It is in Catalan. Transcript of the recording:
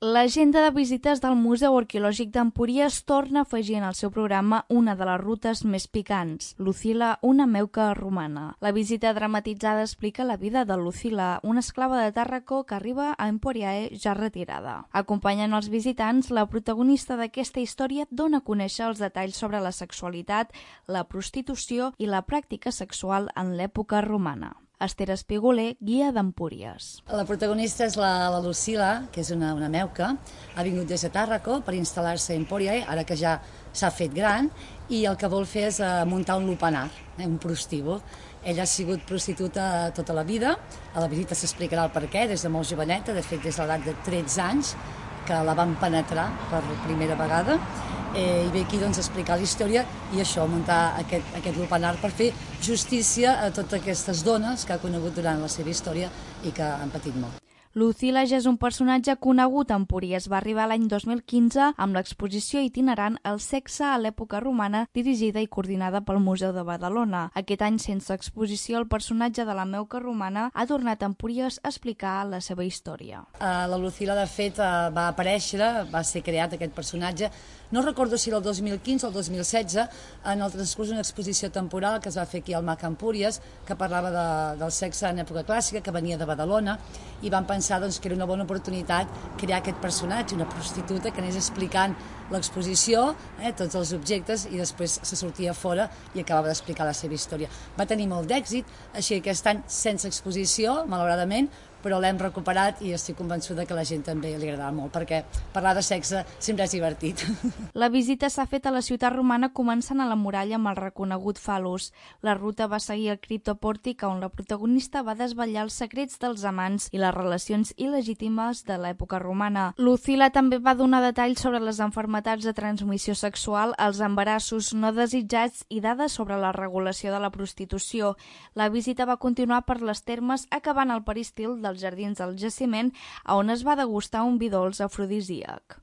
L'agenda de visites del Museu Arqueològic d'Empúries torna a afegir en el seu programa una de les rutes més picants, Lucila, una meuca romana. La visita dramatitzada explica la vida de Lucila, una esclava de Tàrraco que arriba a Emporiae ja retirada. Acompanyant els visitants, la protagonista d'aquesta història dona a conèixer els detalls sobre la sexualitat, la prostitució i la pràctica sexual en l'època romana. Esther Espigoler, guia d'Empúries. La protagonista és la Lucila, que és una meuca. Ha vingut des de Tàrraco per instal·lar-se a Emporiae, ara que ja s'ha fet gran, i el que vol fer és muntar un lupanar, un prostíbul. Ella ha sigut prostituta tota la vida, a la visita s'explicarà el perquè, des de molt joveneta, de fet des de l'edat de 13 anys, que la van penetrar per primera vegada, i ve aquí a explicar la història i això, muntar aquest lupanar per fer justícia a totes aquestes dones que ha conegut durant la seva història i que han patit molt. Lucila ja és un personatge conegut a Empúries. Va arribar l'any 2015 amb l'exposició itinerant El sexe a l'època romana, dirigida i coordinada pel Museu de Badalona. Aquest any, sense exposició, el personatge de la meuca romana ha tornat a Empúries a explicar la seva història. La Lucila, de fet, va aparèixer, va ser creat aquest personatge, no recordo si era el 2015 o el 2016, en el transcurs d'una exposició temporal que es va fer aquí al MAC Empúries, que parlava del sexe en època clàssica, que venia de Badalona, i vam pensar que era una bona oportunitat crear aquest personatge, una prostituta que anés explicant l'exposició, tots els objectes, i després se sortia fora i acabava d'explicar la seva història. Va tenir molt d'èxit, així que aquest any sense exposició, malauradament, però l'hem recuperat i estic convençuda que a la gent també li agradarà molt, perquè parlar de sexe sempre és divertit. La visita s'ha fet a la ciutat romana començant a la muralla amb el reconegut fal·lus. La ruta va seguir el criptopòrtic on la protagonista va desvetllar els secrets dels amants i les relacions il·legítimes de l'època romana. Lucila també va donar detalls sobre les malalties de transmissió sexual, els embarassos no desitjats i dades sobre la regulació de la prostitució. La visita va continuar per les termes, acabant al peristil dels jardins del jaciment, on es va degustar un vi dolç afrodisíac.